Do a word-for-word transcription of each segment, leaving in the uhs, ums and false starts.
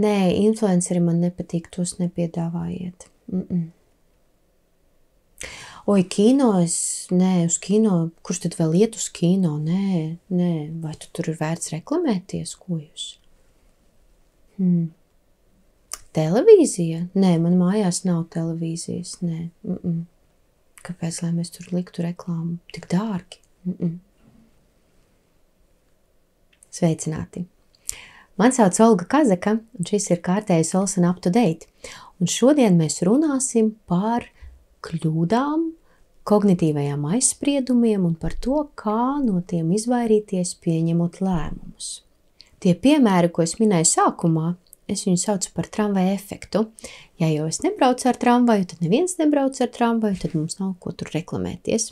Nē, influenceri man nepatīk, tos nepiedāvājiet. Mm-mm. Oi, kino, es, nē, uz kino, kurš tad vēl iet uz kino? Nē, nē, vai tu tur ir vērts reklamēties, ko jūs? Hmm. Televīzija? Nē, man mājās nav televīzijas, nē. Mm-mm. Kāpēc, lai mēs tur liktu reklāmu? Tik dārgi. Mm-mm. Sveicināti! Man sauc Olga Kazaka, un šis ir kārtējais Olsen Up to Date. Un šodien mēs runāsim par kļūdām, kognitīvajām aizspriedumiem un par to, kā no tiem izvairīties, pieņemot lēmumus. Tie piemēri, ko es minēju sākumā, es viņu saucu par tramvaja efektu. Ja jau es nebraucu ar tramvaju, tad neviens nebrauc ar tramvaju, tad mums nav ko tur reklamēties.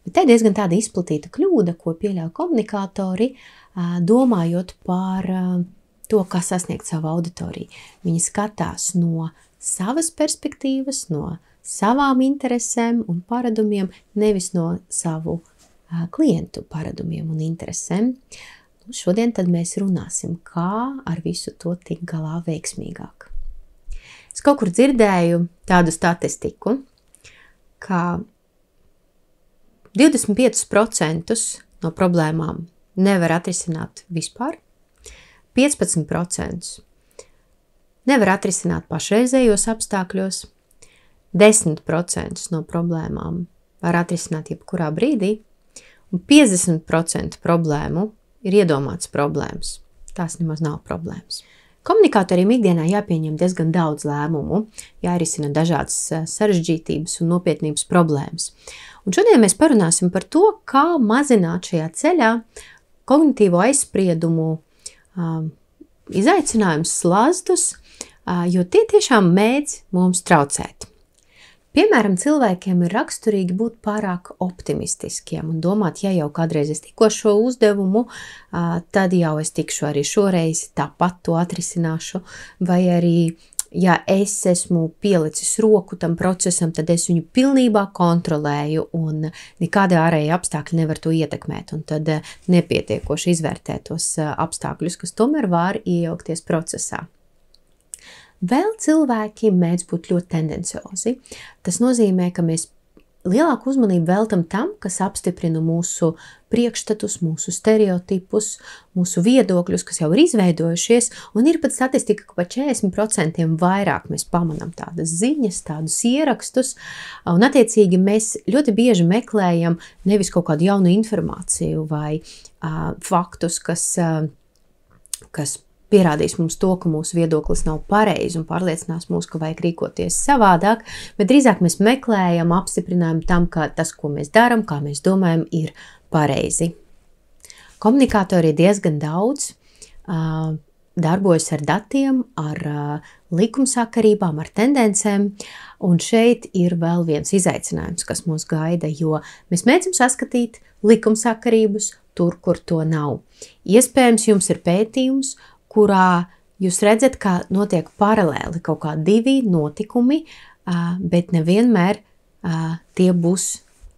Bet te ir diezgan tāda izplatīta kļūda, ko pieļauj komunikātori, domājot par to, kā sasniegt savu auditoriju. Viņi skatās no savas perspektīvas, no savām interesēm un paradumiem, nevis no savu uh, klientu paradumiem un interesēm. Nu, šodien tad mēs runāsim, kā ar visu to tikt galā veiksmīgāk. Es kaut kur dzirdēju tādu statistiku, ka divdesmit pieci procenti no problēmām nevar atrisināt vispār, piecpadsmit procenti nevar atrisināt pašreizējos apstākļos, desmit procenti no problēmām var atrisināt jebkurā brīdī, un piecdesmit procenti problēmu ir iedomāts problēmas. Tās nemaz nav problēmas. Komunikātoriem ikdienā jāpieņem diezgan daudz lēmumu, jārisina dažādas sarežģītības un nopietnības problēmas. Un šodien mēs parunāsim par to, kā mazināt šajā ceļā kognitīvo aizspriedumu um, izaicinājumus, slazdus, uh, jo tie tiešām mēdz mums traucēt. Piemēram, cilvēkiem ir raksturīgi būt pārāk optimistiskiem un domāt, ja jau kādreiz es tikko šo uzdevumu, tad jau es tikšu arī šoreiz, tāpat to atrisināšu, vai arī, ja es esmu pielicis roku tam procesam, tad es viņu pilnībā kontrolēju un nekāda ārēja apstākļi nevar to ietekmēt, un tad nepietiekoši izvērtē tos apstākļus, kas tomēr var iejaukties procesā. Vēl cilvēki mēdz būt ļoti tendenciozi. Tas nozīmē, ka mēs lielāku uzmanību veltam tam, kas apstiprina mūsu priekšstatus, mūsu stereotipus, mūsu viedokļus, kas jau ir izveidojušies, un ir pat statistika, ka pa četrdesmit procenti vairāk mēs pamanām tādas ziņas, tādus ierakstus, un attiecīgi mēs ļoti bieži meklējam nevis kaut kādu jaunu informāciju vai uh, faktus, kas, uh, kas pierādīs mums to, ka mūsu viedoklis nav pareizi un pārliecinās mūs, ka vajag rīkoties savādāk, bet drīzāk mēs meklējam apstiprinājumu tam, ka tas, ko mēs darām, kā mēs domājam, ir pareizi. Komunikātori ir diezgan daudz, uh, darbojas ar datiem, ar uh, likumsakarībām, ar tendencēm, un šeit ir vēl viens izaicinājums, kas mūs gaida, jo mēs mēģinām saskatīt likumsakarības tur, kur to nav. Iespējams, jums ir pētījums, kurā jūs redzat, ka notiek paralēli kaut kā divi notikumi, bet nevienmēr tie būs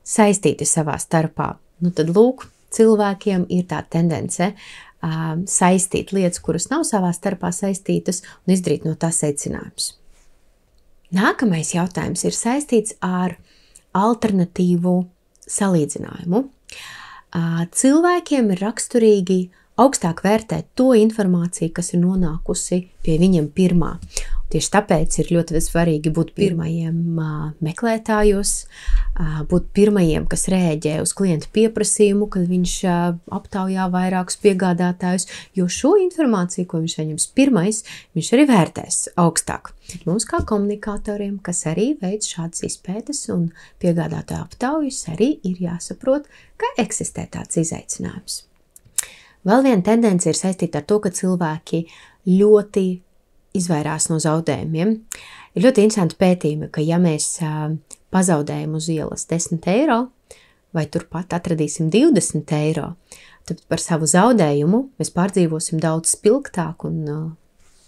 saistīti savā starpā. Nu tad lūk, cilvēkiem ir tā tendence saistīt lietas, kuras nav savā starpā saistītas, un izdarīt no tā secinājumus. Nākamais jautājums ir saistīts ar alternatīvu salīdzinājumu. Cilvēkiem ir raksturīgi augstāk vērtēt to informāciju, kas ir nonākusi pie viņiem pirmā. Tieši tāpēc ir ļoti svarīgi būt pirmajiem meklētājos, būt pirmajiem, kas rēģē uz klientu pieprasījumu, kad viņš aptaujā vairākus piegādātājus, jo šo informāciju, ko viņš saņems pirmais, viņš arī vērtēs augstāk. Mums kā komunikātoriem, kas arī veic šādas izpētes un piegādātāju aptaujas, arī ir jāsaprot, ka eksistē tāds izaicinājums. Vēl viena tendence ir saistīta ar to, ka cilvēki ļoti izvairās no zaudējumiem. Ir ļoti interesanti pētījumi, ka ja mēs pazaudējam uz ielas desmit eiro vai turpat atradīsim divdesmit eiro, tad par savu zaudējumu mēs pārdzīvosim daudz spilgtāk un uh,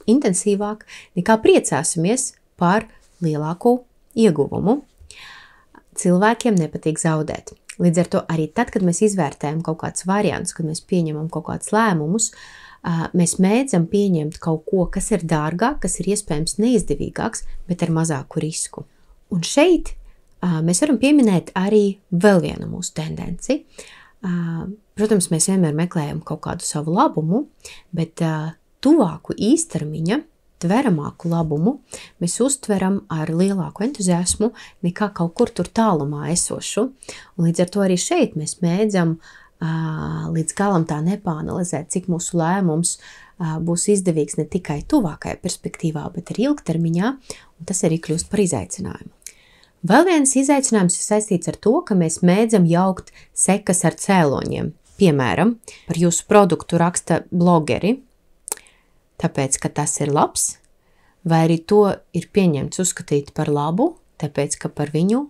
intensīvāk, nekā priecāsimies par lielāku ieguvumu. Cilvēkiem nepatīk zaudēt. Līdz ar to arī tad, kad mēs izvērtējam kaut kāds variants, kad mēs pieņemam kaut kādus lēmumus, mēs mēdzam pieņemt kaut ko, kas ir dārgāk, kas ir iespējams neizdevīgāks, bet ar mazāku risku. Un šeit mēs varam pieminēt arī vēl vienu mūsu tendenci. Protams, mēs vienmēr meklējam kaut kādu savu labumu, bet tuvāku īstermiņa, tveramāku labumu mēs uztveram ar lielāku entuziasmu nekā kaut kur tur tālumā esošu. Un līdz ar to arī šeit mēs mēdzam līdz galam tā nepāanalizēt, cik mūsu lēmums būs izdevīgs ne tikai tuvākajā perspektīvā, bet arī ilgtermiņā, un tas arī kļūst par izaicinājumu. Vēl viens izaicinājums ir saistīts ar to, ka mēs mēdzam jaukt sekas ar cēloņiem. Piemēram, par jūsu produktu raksta blogeri, tāpēc, ka tas ir labs, vai arī to ir pieņemts uzskatīt par labu, tāpēc, ka par viņu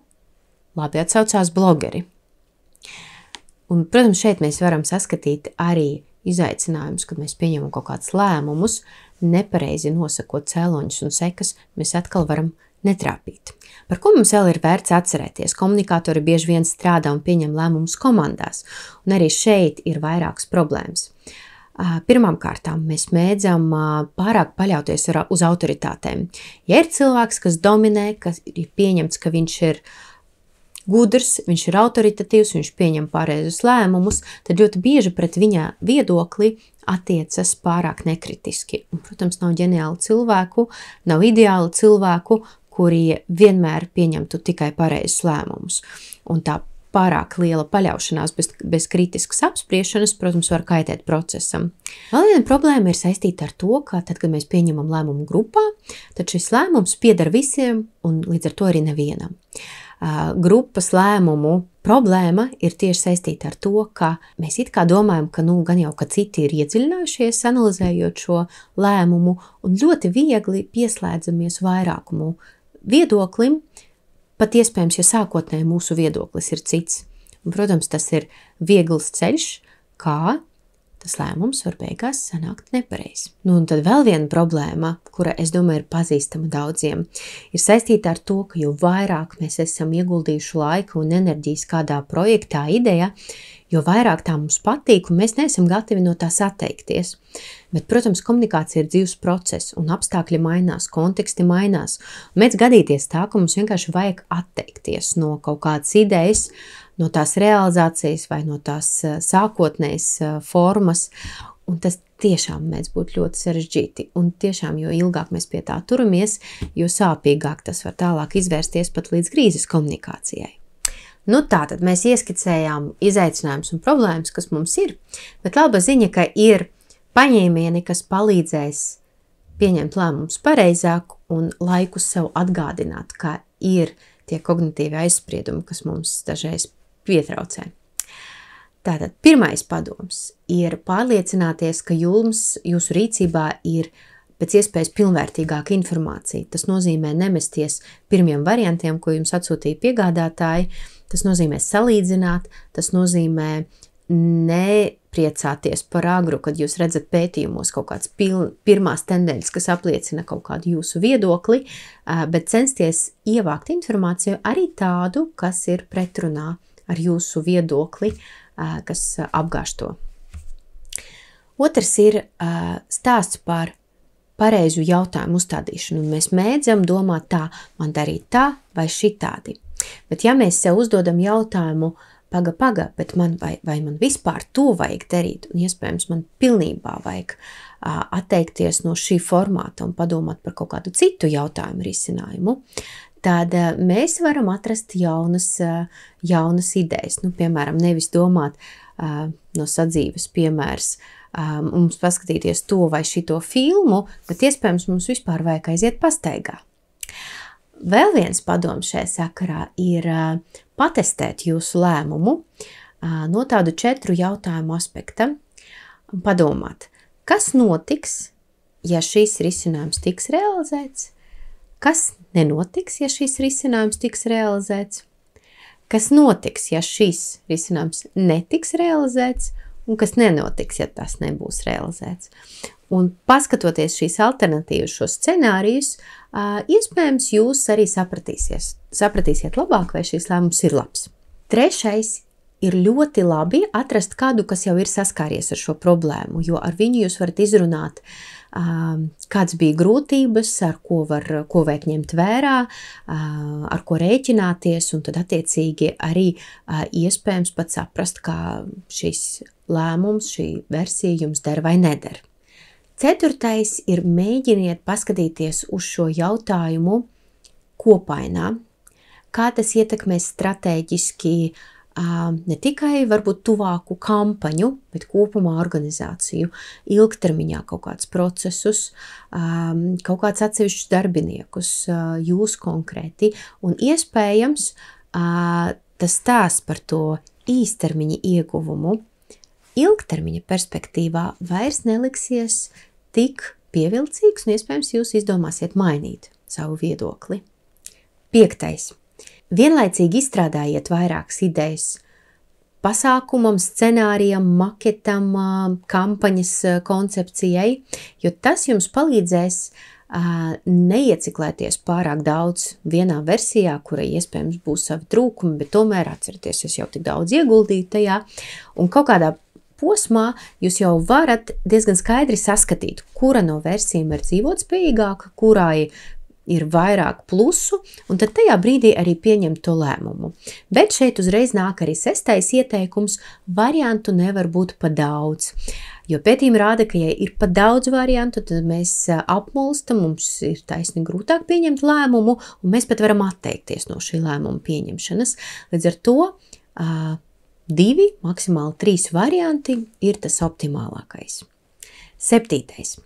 labi atsaucās blogeri. Un, protams, šeit mēs varam saskatīt arī izaicinājumus, kad mēs pieņemam kaut kādus lēmumus, nepareizi nosakot cēloņus un sekas, mēs atkal varam netrāpīt. Par ko mums vēl ir vērts atcerēties? Komunikātori bieži vien strādā un pieņem lēmumus komandās, un arī šeit ir vairākas problēmas. Pirmām kārtām mēs mēdzam pārāk paļauties uz autoritātēm. Ja ir cilvēks, kas dominē, kas ir pieņemts, ka viņš ir gudrs, viņš ir autoritatīvs, viņš pieņem pareizus lēmumus, tad ļoti bieži pret viņa viedokli attiecas pārāk nekritiski. Un, protams, nav ģeniālu cilvēku, nav ideālu cilvēku, kuri vienmēr pieņemtu tikai pareizus lēmumus. Un tā pārāk liela paļaušanās bez, bez kritiskas apspriešanas, protams, var kaitēt procesam. Vēl viena problēma ir saistīta ar to, ka tad, kad mēs pieņemam lēmumu grupā, tad šis lēmums pieder visiem un līdz ar to arī nevienam. Grupas lēmumu problēma ir tieši saistīta ar to, ka mēs it kā domājam, ka nu gan jau, ka citi ir iedziļinājušies, analizējot šo lēmumu, un ļoti viegli pieslēdzamies vairākumu viedoklim, pat iespējams, ja sākotnēji mūsu viedoklis ir cits. Un, protams, tas ir viegls ceļš, kā tas lēmums var beigās sanākt nepareizi. Nu, un tad vēl viena problēma, kura, es domāju, ir pazīstama daudziem, ir saistīta ar to, ka jo vairāk mēs esam ieguldījuši laiku un enerģijas kādā projektā, idejā, jo vairāk tā mums patīk, un mēs neesam gatavi no tās atteikties. Bet, protams, komunikācija ir dzīves process, un apstākļi mainās, konteksti mainās. Mēdz gadīties tā, ka mums vienkārši vajag atteikties no kaut kādas idejas, no tās realizācijas vai no tās sākotnējas formas, un tas tiešām mēdz būt ļoti sarežģīti. Un tiešām, jo ilgāk mēs pie tā turamies, jo sāpīgāk tas var tālāk izvērsties pat līdz krīzes komunikācijai. Nu tā, tad mēs ieskicējām izaicinājumus un problēmas, kas mums ir, bet laba ziņa, ka ir paņēmieni, kas palīdzēs pieņemt lēmumus pareizāk un laiku sev atgādināt, ka ir tie kognitīvi aizspriedumi, kas mums dažreiz pietraucē. Tātad pirmais padoms ir pārliecināties, ka jums, jūsu rīcībā ir pēc iespējas pilnvērtīgāka informācija. Tas nozīmē nemesties pirmiem variantiem, ko jums atsūtīja piegādātāji, tas nozīmē salīdzināt, tas nozīmē nepriecāties par agru, kad jūs redzat pētījumos kaut kāds piln, pirmās tendences, kas apliecina kaut kādu jūsu viedokli, bet censties ievākt informāciju arī tādu, kas ir pretrunā ar jūsu viedokli, kas apgāž to. Otrs ir stāsts par pareizu jautājumu uzstādīšanu, un mēs mēdzam domāt tā, man darīt tā vai šitādi. Bet ja mēs sev uzdodam jautājumu, paga, paga, bet man vai, vai man vispār to vajag darīt, un iespējams man pilnībā vajag uh, atteikties no šī formāta un padomāt par kaut kādu citu jautājumu risinājumu, tad uh, mēs varam atrast jaunas, uh, jaunas idejas. Nu, piemēram, nevis domāt uh, no sadzīves piemērs, uh, mums paskatīties to vai šito filmu, bet iespējams mums vispār vajag aiziet pastaigā. Vēl viens padoms šajā sakarā ir uh, patestēt jūsu lēmumu uh, no tādu četru jautājumu aspekta un padomāt, kas notiks, ja šīs risinājums tiks realizēts, kas nenotiks, ja šīs risinājums tiks realizēts, kas notiks, ja šīs risinājums netiks realizēts, un kas nenotiks, ja tas nebūs realizēts. Un paskatoties šīs alternatīvas, šos scenārijus, iespējams jūs arī sapratīsies, sapratīsiet labāk, vai šīs lēmums ir labs. Trešais ir ļoti labi atrast kādu, kas jau ir saskāries ar šo problēmu, jo ar viņu jūs varat izrunāt, kāds bija grūtības, ar ko var, ko vajag ņemt vērā, ar ko rēķināties, un tad attiecīgi arī iespējams pat saprast, kā šis lēmums, šī versija jums der vai neder. Ceturtais ir mēģiniet paskatīties uz šo jautājumu kopainā, kā tas ietekmēs stratēģiski ne tikai varbūt tuvāku kampaņu, bet kopumā organizāciju, ilgtermiņā kaut kādus procesus, kaut kāds atsevišķus darbiniekus, jūs konkrēti, un iespējams tas stāsts par to īstermiņa ieguvumu ilgtermiņa perspektīvā vairs neliksies tik pievilcīgs, un iespējams jūs izdomāsiet mainīt savu viedokli. Piektais. Vienlaicīgi izstrādājiet vairākas idejas pasākumam, scenārijam, maketam, kampaņas koncepcijai, jo tas jums palīdzēs neieciklēties pārāk daudz vienā versijā, kurai iespējams būs savi trūkumi, bet tomēr atcerieties, es jau tik daudz ieguldīju tajā, un kaut kādā posmā jūs jau varat diezgan skaidri saskatīt, kura no versijām ir dzīvotspējīgāka, kurai ir vairāk plusu, un tad tajā brīdī arī pieņemt to lēmumu. Bet šeit uzreiz nāk arī sestais ieteikums, variantu nevar būt pa daudz. Jo pētījumi rāda, ka ja ir pa daudz variantu, tad mēs apmulstam, mums ir taisni grūtāk pieņemt lēmumu, un mēs pat varam atteikties no šī lēmuma pieņemšanas. Līdz ar to divi, maksimāli trīs varianti ir tas optimālākais. Septītais.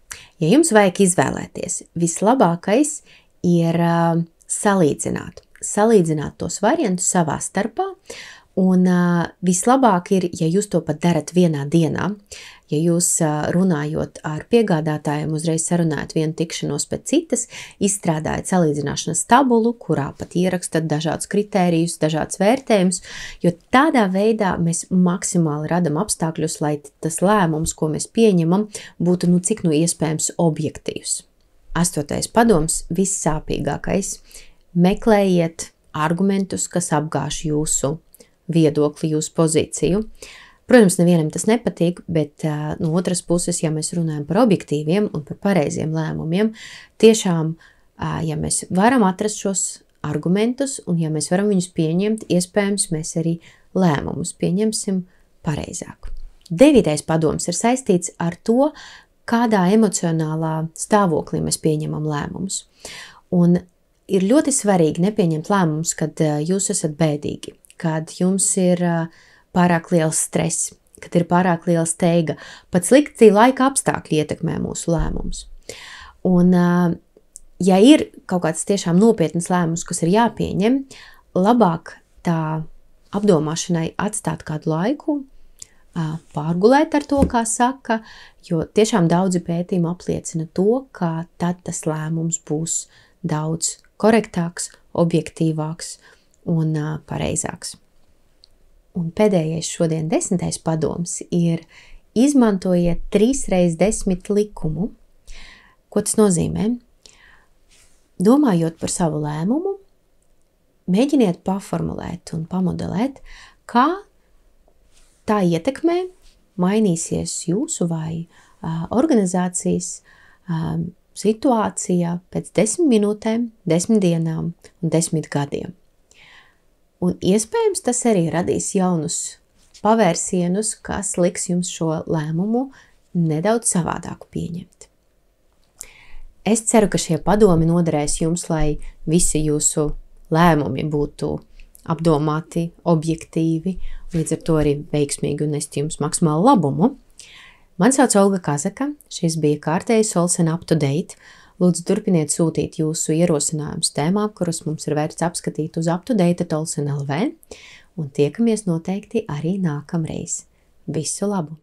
Ja jums vajag izvēlēties, vislabākais ir uh, salīdzināt. Salīdzināt tos variantus savā starpā, un uh, vislabāk ir, ja jūs to pat darat vienā dienā, ja jūs uh, runājot ar piegādātājiem, uzreiz sarunājat vienu tikšanos pēc citas, izstrādājat salīdzināšanas tabulu, kurā pat ierakstat dažādus kritērijus, dažādas vērtējumus, jo tādā veidā mēs maksimāli radam apstākļus, lai tas lēmums, ko mēs pieņemam, būtu nu cik nu iespējams objektīvs. Astotais padoms, vissāpīgākais. Meklējiet argumentus, kas apgāž jūsu viedokli, jūsu pozīciju. Protams, nevienam tas nepatīk, bet uh, no otras puses, ja mēs runājam par objektīviem un par pareiziem lēmumiem, tiešām, uh, ja mēs varam atrast šos argumentus un ja mēs varam viņus pieņemt, iespējams, mēs arī lēmumus pieņemsim pareizāk. Devītais padoms ir saistīts ar to, kādā emocionālā stāvoklī mēs pieņemam lēmumus. Un ir ļoti svarīgi nepieņemt lēmumus, kad jūs esat bēdīgi, kad jums ir pārāk liels stress, kad ir pārāk liela steiga. Pat slikti laika apstākļi ietekmē mūsu lēmumus. Un, ja ir kaut kāds tiešām nopietnas lēmums, kas ir jāpieņem, labāk tā apdomāšanai atstāt kādu laiku, pārgulēt ar to, kā saka, jo tiešām daudzi pētījumi apliecina to, ka tad tas lēmums būs daudz korektāks, objektīvāks un uh, pareizāks. Un pēdējais šodien desmitais padoms ir izmantojiet trīs reiz desmit likumu. Ko tas nozīmē? Domājot par savu lēmumu, mēģiniet paformulēt un pamodelēt, kā tā ietekmē mainīsies jūsu vai uh, organizācijas uh, situācija pēc desmit minūtēm, desmit dienām un desmit gadiem. Un iespējams tas arī radīs jaunus pavērsienus, kas liks jums šo lēmumu nedaudz savādāku pieņemt. Es ceru, ka šie padomi noderēs jums, lai visi jūsu lēmumi būtu apdomāti, objektīvi, līdz ar to arī veiksmīgi un nest jums maksimālu labumu. Man sauc Olga Kazaka, šis bija kārtējs Olsen Up to Date. Lūdzu, turpiniet sūtīt jūsu ierosinājumus tēmām, kurus mums ir vērts apskatīt uz up to date dot olsen dot l v, un tiekamies noteikti arī nākamreiz. Visu labu!